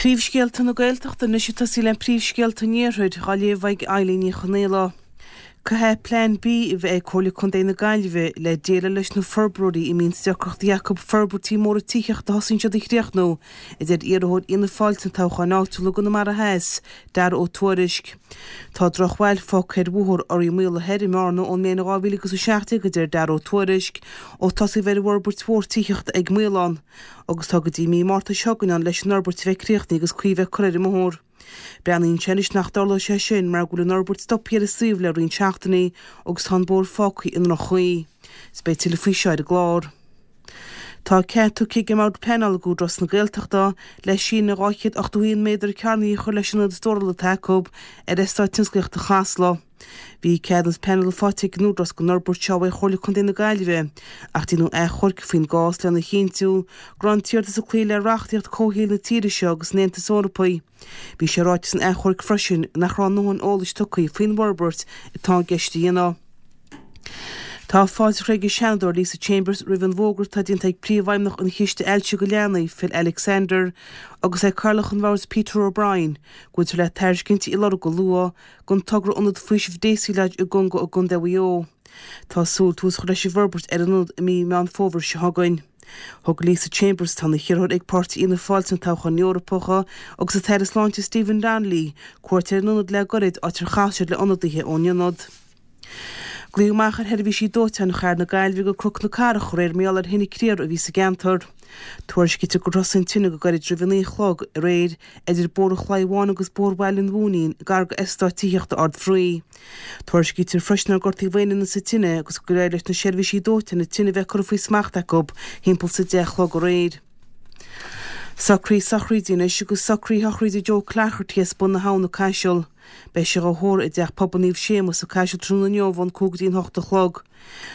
Príomhscéalta na Gaeltachta anois ag tosaí le príomhscéalta an Iarthair, á léamh ag Eilín Ní Chonaola. Caithfidh Plean B a bheith ag Comhairle Contae na Gaillimhe le déileáil leis na forbróirí a mbíonn deacrachtaí acu forbairtí móra tithíochta a thosaíonn siad a chríochnú, a deir iarrthóir Fhianna Fáil sna toghcháin áitiúla i gConamara Theas, Daragh Ó Tuairisg. Tá drochbhail fágtha ar Bhóthar Ioraí Maola Thoir i mBearna ón mbliain 2017, a deir Daragh Ó Tuairisg, ó tosaíodh ar an bhforbairt mhór tithíochta ag Maolán. agus tá go dtí mí Márta seo chugainn ann leis an fhorbairt a bheith críochnaithe agus caoi a bheith curtha ar an mbóthar. Breathnaíonn sé anois nach dtarlóidh sé sin mar go bhfuil an fhorbairt stoptha ar an suíomh le roinnt seachtainí agus tá an bóthar fágtha i ndroch-chaoi. Is beidh tuilleadh faoi seo ar an gclár. Tá cead tugtha ag an mBord Pleanála ag Údarás na Gaeltachta le síneadh 281 méadar cearnaithe a chur leis an ionad stórála atá acu ar Eastát Tionsclaíochta Chasla. Bhí ceadúnas pleanála faighte ag an Údarás don fhorbairt seo uaidh Chomhairle Contae na Gaillimhe ach déanadh achomharc faoin gcás lena chinntiú go raibh an t-iarratas ag cloí le reachtaíocht comhshaoil na tíre seo agus an Aontais Eorpaigh. Bhí sé ráite san achomharc freisin nach raibh a ndóthain eolais tugtha faoin bhforbairt atá i gceist a dhéanamh. Tá fáilte curtha ag an Seanadóir Lisa Chambers roimh an bhfógra atá déanta ag Príomhfheidhmeannach an Chiste Ailse do Leanaí, Phil Alexander, agus ag Cathaoirleach an Bhoird Peter O'Brien, go bhfuiltear le tairiscintí a lorg go luath don togra Ionad Faoisimh Daisy Lodge i gConga i gContae Mhaigh Eo. Tá súil tús a chur leis an bhforbairt ar an ionad i mí Meán Fómhair seo chugainn. Thug Lisa Chambers, atá ina hiarrthóir ag Páirtí Fhianna Fáil sna toghcháin Eorpacha, agus an tAire Sláinte Stephen Donnelly, cuairt ar an ionad le gairid, áit ar chas siad le ionadaithe ón ionad. Glaodh amach ar sheirbhísí dóiteáin chathair na Gaillimhe go Cnoc na Cathrach aréir mar gheall ar thine criathair a bhí sa gceantar. Tuairiscítear gur thosaigh an tine go gairid roimh a 9 a chlog aréir idir Bóthar an Chlaí Bháin agus Bóthar Bhaile an Mhúinín, gar go eastát tithíochta Ard Fraoigh. Tuairiscítear freisin nár gortaíodh aon duine sa tine agus gur éirigh leis na seirbhísí dóiteáin an tine a bheith curtha faoi smacht acu thimpeall is a 10 a chlog aréir. Socruithe sochraide anois agus socruithe shochraide Joe Cloherty as Bun na hAbhann an Caiseal. Beidh sé dhá thórramh i dTeach Pobail Naomh Séamus sa Caiseal tráthnóna inniu ón 5 go dtí an 8 a chlog.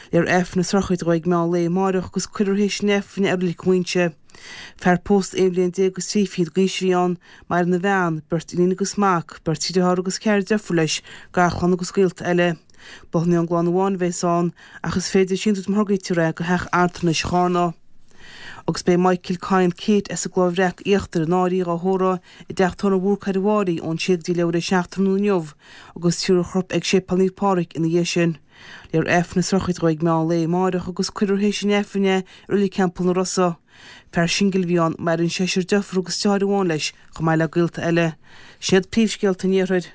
Léifear Aifreann na sochraide dhó ag meán lae amáireach agus cuirfear théis an Aifrinn é i Reilig Mhuighinse. Fear pósta aon bhliain déag agus 30 d'aois a bhí ann, maireann a bhean, beirt iníon agus mac, beirt dheartháir agus ceathrar deirfiúr leis, garchlann agus gaolta eile. Bothnú ón gclann amháin a bheas ann, ach is féidir síntiús má lorgaítear é go theach altranais Charna. Agus beidh Michael Kyle Kate as an gCloich Bhreac Íochtar in Árainn dhá thórramh i dteach tórraimh Bhúrcaire Mháirí ón sé go dtí leathuair théis a 7 tráthnóna inniu agus tabharfar a chorp ag Séipéal Naomh Pádraig ina dhiaidh sin. Léifear Aifreann na sochraide dhó ag meán lae amáireach agus cuirfear théis an Aifrinn é i Reilig Theampall na Rosa. Fear singil a bhí ann, maireann seisear deirfiúr agus deartháir amháin leis, chomh maith le gaolta eile. Sin iad príomhscéalta an Iarthair.